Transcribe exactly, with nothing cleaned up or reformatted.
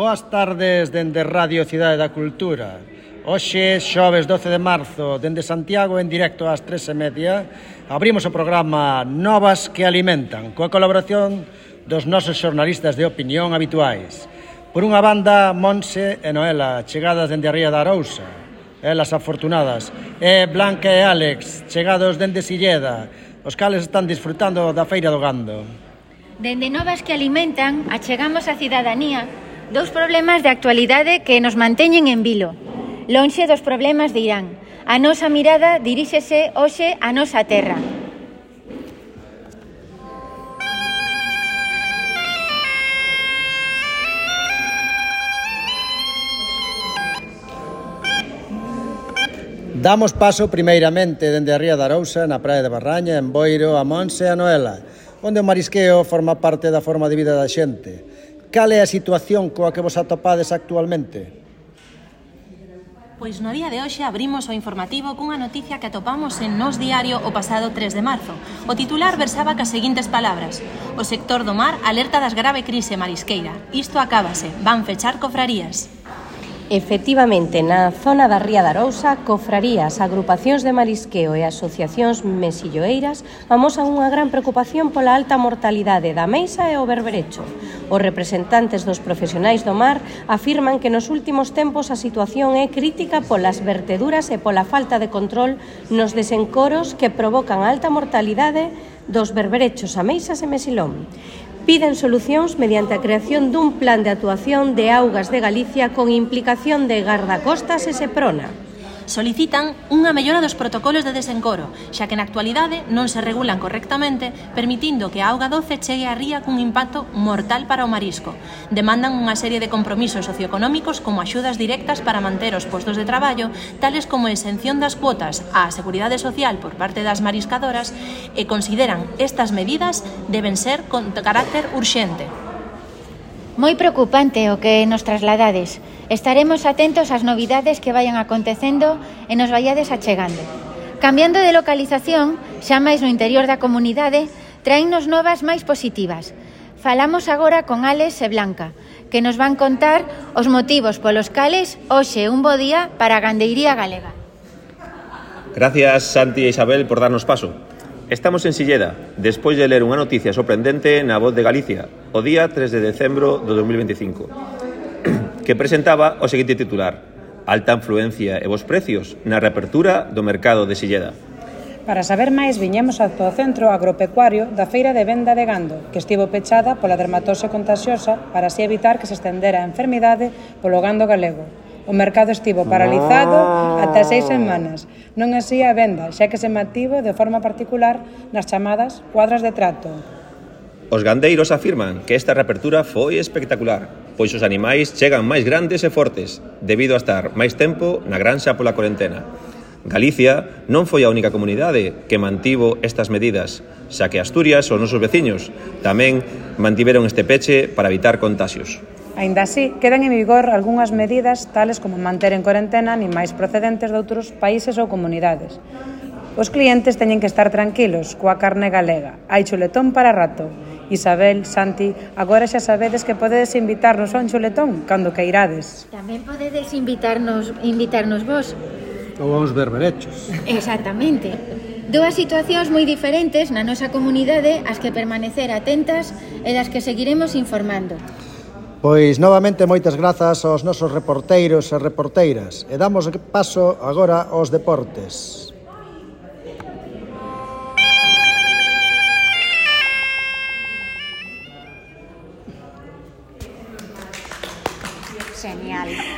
Boas tardes dende Radio Cidade da Cultura. Hoxe, xoves doce de marzo, dende Santiago en directo ás tres e media, abrimos o programa Novas que Alimentan, coa colaboración dos nosos xornalistas de opinión habituais. Por unha banda, Monse e Noela, chegadas dende a Ría da Arousa, elas afortunadas, e Blanca e Álex, chegados dende Silleda, os cales están disfrutando da Feira do Gando. Dende Novas que Alimentan, achegamos a cidadanía dous problemas de actualidade que nos manteñen en vilo. Lonxe dos problemas de Irán. A nosa mirada diríxese hoxe á nosa terra. Damos paso primeiramente dende a Ría da Arousa, na praia de Barraña, en Boiro, a Monse e a Noela, onde o marisqueo forma parte da forma de vida da xente. Cal é a situación coa que vos atopades actualmente? Pois no día de hoxe abrimos o informativo cunha noticia que atopamos en Nós Diario o pasado tres de marzo. O titular versaba cas seguintes palabras: o sector do mar alerta das grave crise marisqueira. Isto acábase, van fechar cofrarías. Efectivamente, na zona da Ría da Arousa, cofrarías, agrupacións de marisqueo e asociacións mesilloeiras amosan unha gran preocupación pola alta mortalidade da meixa e o berberecho. Os representantes dos profesionais do mar afirman que nos últimos tempos a situación é crítica polas verteduras e pola falta de control nos desencoros que provocan a alta mortalidade dos berberechos, ameixas e mesilón. Piden solucións mediante a creación dun plan de actuación de augas de Galicia con implicación de gardacostas e Seprona. Solicitan unha mellora dos protocolos de desencoro, xa que na actualidade non se regulan correctamente, permitindo que a auga doce chegue á ría cun impacto mortal para o marisco. Demandan unha serie de compromisos socioeconómicos como axudas directas para manter os postos de traballo, tales como a exención das cuotas á Seguridade Social por parte das mariscadoras, e consideran estas medidas deben ser con carácter urxente. Moi preocupante o que nos trasladades. Estaremos atentos ás novidades que vayan acontecendo e nos vaiades achegando. Cambiando de localización, xa máis no interior da comunidade, traennos novas máis positivas. Falamos agora con Álex e Blanca, que nos van contar os motivos polos cales hoxe un bo día para a gandeiría galega. Gracias, Santi e Isabel, por darnos paso. Estamos en Silleda, despois de ler unha noticia sorprendente na Voz de Galicia, o día tres de decembro do dos mil veinticinco, que presentaba o seguinte titular: alta influencia e bons precios na reapertura do mercado de Silleda. Para saber máis, viñemos ata o centro agropecuario da Feira de Venda de Gando, que estivo pechada pola dermatose contagiosa para así evitar que se estendera a enfermidade polo gando galego. O mercado estivo paralizado ata seis semanas, non así a venda, xa que se mantivo de forma particular nas chamadas cuadras de trato. Os gandeiros afirman que esta reapertura foi espectacular, pois os animais chegan máis grandes e fortes, debido a estar máis tempo na granxa pola cuarentena. Galicia non foi a única comunidade que mantivo estas medidas, xa que Asturias, os nosos veciños, tamén mantiveron este peche para evitar contaxios. Aínda así, quedan en vigor algunhas medidas tales como manter en cuarentena animais procedentes de outros países ou comunidades. Os clientes teñen que estar tranquilos coa carne galega. Hai chuletón para rato. Isabel, Santi, agora xa sabedes que podedes invitarnos a un chuletón cando queirades. Tamén podedes invitarnos, invitarnos vos. Ou a uns berberechos. Exactamente. Dúas situacións moi diferentes na nosa comunidade ás que permanecer atentas e das que seguiremos informando. Pois, novamente, moitas grazas aos nosos reporteiros e reporteiras. E damos paso agora aos deportes.